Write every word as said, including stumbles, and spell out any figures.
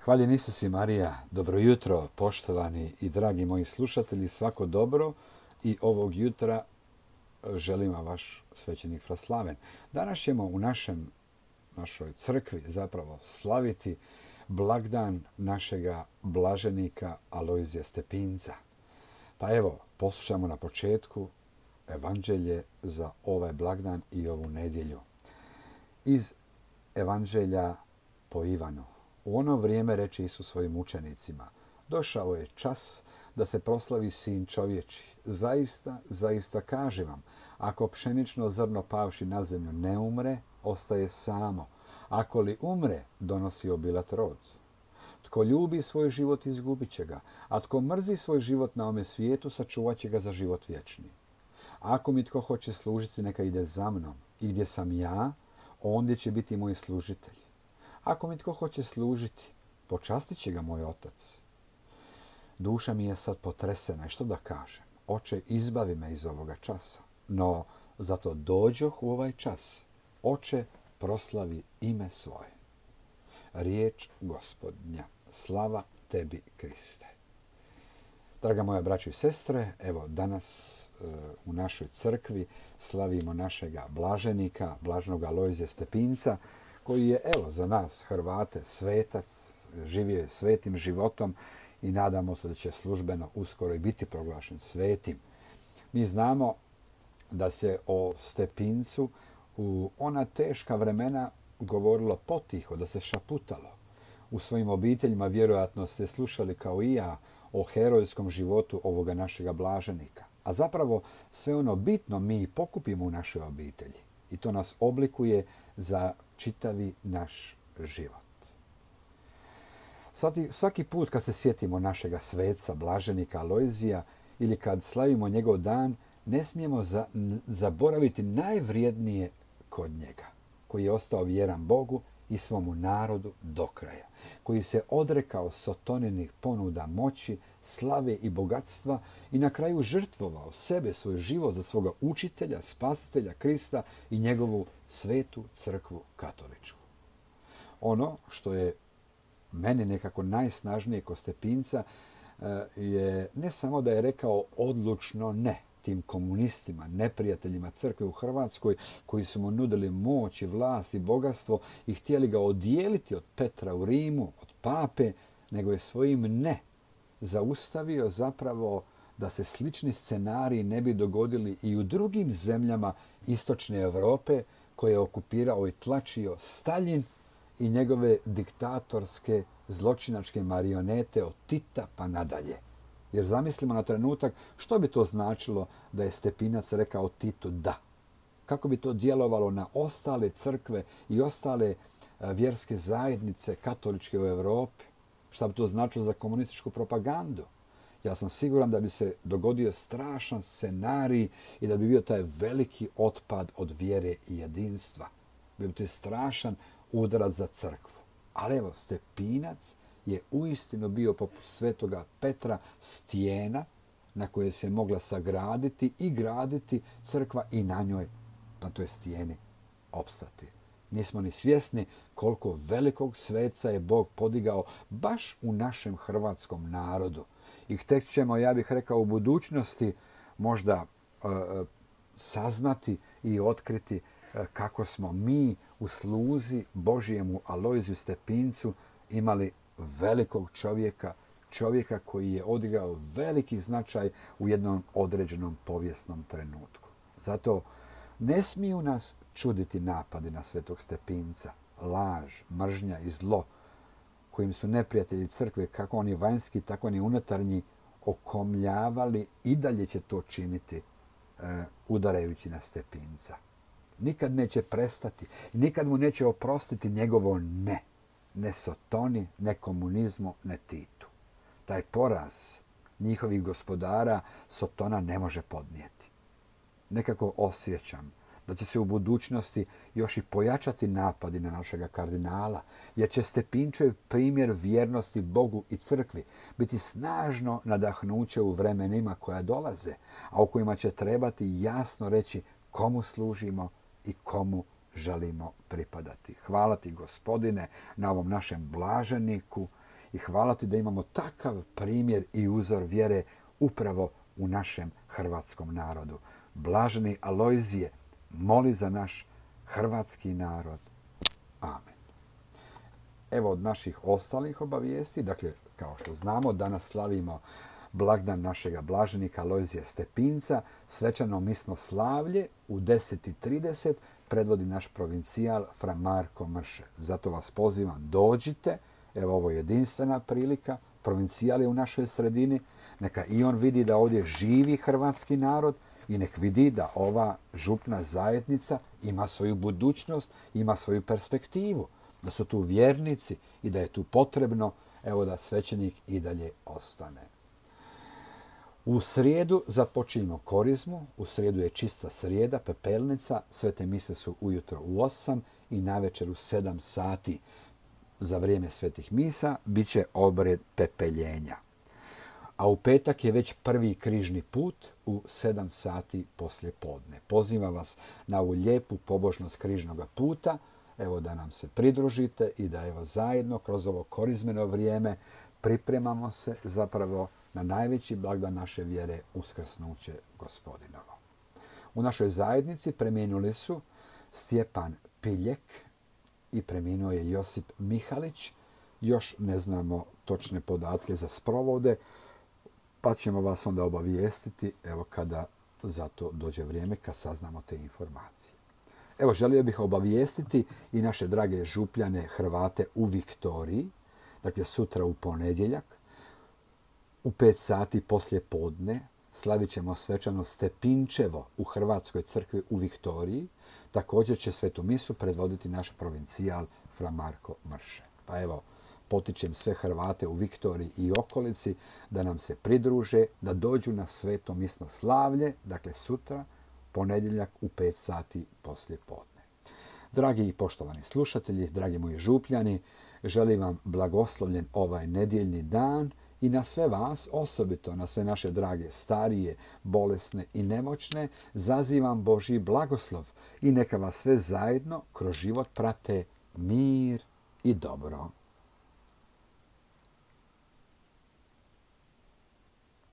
Hvaljen Isus i Marija, dobro jutro, poštovani i dragi moji slušatelji, svako dobro i ovog jutra želim vam vaš svećenik Fraslaven. Danas ćemo u našem, našoj crkvi zapravo slaviti blagdan našega blaženika Alojzija Stepinca. Pa evo, poslušamo na početku evanđelje za ovaj blagdan i ovu nedjelju. Iz evanđelja po Ivanu. U ono vrijeme reče Isus svojim učenicima: došao je čas da se proslavi Sin čovječi. Zaista, zaista kažem vam, ako pšenično zrno pavši na zemlju ne umre, ostaje samo. Ako li umre, donosi obilat rod. Tko ljubi svoj život, izgubit će ga, a tko mrzi svoj život na ome svijetu, sačuvat će ga za život vječni. Ako mi tko hoće služiti, neka ide za mnom, i gdje sam ja, ondje će biti moj služitelj. Ako mi tko hoće služiti, počastit će ga moj otac. Duša mi je sad potresena i što da kažem? Oče, izbavi me iz ovoga časa. No, zato dođoh u ovaj čas. Oče, proslavi ime svoje. Riječ Gospodnja. Slava tebi, Kriste. Draga moja braćo i sestre, evo danas e, u našoj crkvi slavimo našega blaženika, blaženog Alojzija Stepinca, koji je, evo, za nas Hrvate svetac, živio je svetim životom i nadamo se da će službeno uskoro i biti proglašen svetim. Mi znamo da se o Stepincu u ona teška vremena govorilo potiho, da se šaputalo. U svojim obiteljima vjerojatno ste slušali kao i ja o herojskom životu ovoga našega blaženika. A zapravo sve ono bitno mi pokupimo u našoj obitelji. I to nas oblikuje za čitavi naš život. Svaki, svaki put kad se sjetimo našega sveca, blaženika Alojzija, ili kad slavimo njegov dan, ne smijemo za, zaboraviti najvrijednije kod njega, koji je ostao vjeran Bogu i svomu narodu do kraja, koji se odrekao sotoninih ponuda moći, slave i bogatstva i na kraju žrtvovao sebe, svoj život za svoga učitelja, spasitelja Krista i njegovu svetu crkvu katoličku. Ono što je meni nekako najsnažnije kod Stepinca je ne samo da je rekao odlučno ne tim komunistima, neprijateljima crkve u Hrvatskoj, koji su mu nudili moć i vlast i bogatstvo i htjeli ga odijeliti od Petra u Rimu, od pape, nego je svojim ne zaustavio zapravo da se slični scenariji ne bi dogodili i u drugim zemljama istočne Europe koje je okupirao i tlačio Staljin i njegove diktatorske zločinačke marionete od Tita pa nadalje. Jer zamislimo na trenutak što bi to značilo da je Stepinac rekao Titu da. Kako bi to djelovalo na ostale crkve i ostale vjerske zajednice katoličke u Europi? Šta bi to značilo za komunističku propagandu? Ja sam siguran da bi se dogodio strašan scenarij i da bi bio taj veliki otpad od vjere i jedinstva. Bio bi to strašan udarac za crkvu. Ali evo, Stepinac je uistinu bio poput svetoga Petra stijena na koje se mogla sagraditi i graditi crkva i na njoj, na toj stijeni, opstati. Nismo ni svjesni koliko velikog sveca je Bog podigao baš u našem hrvatskom narodu. I tek ćemo, ja bih rekao, u budućnosti možda e, saznati i otkriti e, kako smo mi u sluzi Božijemu Alojziju Stepincu imali velikog čovjeka, čovjeka koji je odigrao veliki značaj u jednom određenom povijesnom trenutku. Zato ne smiju nas čuditi napadi na svetog Stepinca, laž, mržnja i zlo kojim su neprijatelji crkve, kako oni vanjski, tako oni unutarnji, okomljavali i dalje će to činiti e, udarajući na Stepinca. Nikad neće prestati, nikad mu neće oprostiti njegovo ne. Ne Sotoni, ne komunizmu, ne Titu. Taj poraz njihovih gospodara Sotona ne može podnijeti. Nekako osjećam da će se u budućnosti još i pojačati napadi na našega kardinala, jer će Stepinčev primjer vjernosti Bogu i crkvi biti snažno nadahnuće u vremenima koja dolaze, a u kojima će trebati jasno reći komu služimo i komu želimo pripadati. Hvala ti, Gospodine, na ovom našem blaženiku i hvala ti da imamo takav primjer i uzor vjere upravo u našem hrvatskom narodu. Blaženi Alojzije, moli za naš hrvatski narod. Amen. Evo od naših ostalih obavijesti, dakle, kao što znamo, danas slavimo blagdan našega blaženika Alojzija Stepinca, svečano misno slavlje u deset i trideset predvodi naš provincijal fra Marko Mrše. Zato vas pozivam, dođite, evo ovo je jedinstvena prilika, provincijal je u našoj sredini, neka i on vidi da ovdje živi hrvatski narod i nek vidi da ova župna zajednica ima svoju budućnost, ima svoju perspektivu, da su tu vjernici i da je tu potrebno, evo, da svećenik i dalje ostane. U srijedu započinjemo korizmu, u srijedu je čista srijeda, pepelnica, svete mise su ujutro u osam i navečer u sedam sati. Za vrijeme svetih misa bit će obred pepeljenja. A u petak je već prvi križni put u sedam sati poslje podne. Pozivam vas na ovu lijepu pobožnost križnog puta, evo da nam se pridružite i da evo zajedno kroz ovo korizmeno vrijeme pripremamo se zapravo na najveći blagdan naše vjere, uskrsnuće Gospodinovo. U našoj zajednici preminuli su Stjepan Piljek i preminuo je Josip Mihalić. Još ne znamo točne podatke za sprovode, pa ćemo vas onda obavijestiti evo kada za to dođe vrijeme, kad saznamo te informacije. Evo, želio bih obavijestiti i naše drage župljane Hrvate u Viktoriji, dakle sutra u ponedjeljak, u pet sati poslje podne slavit ćemo svečano Stepinčevo u Hrvatskoj crkvi u Viktoriji. Također će svetu misu predvoditi naš provincijal fra Marko Mrše. Pa evo, potičem sve Hrvate u Viktoriji i okolici da nam se pridruže, da dođu na sveto misno slavlje, dakle sutra, ponedjeljak u pet sati poslje podne. Dragi i poštovani slušatelji, dragi moji župljani, želim vam blagoslovljen ovaj nedjeljni dan i na sve vas, osobito na sve naše drage starije, bolesne i nemoćne, zazivam Božji blagoslov i neka vas sve zajedno kroz život prate mir i dobro.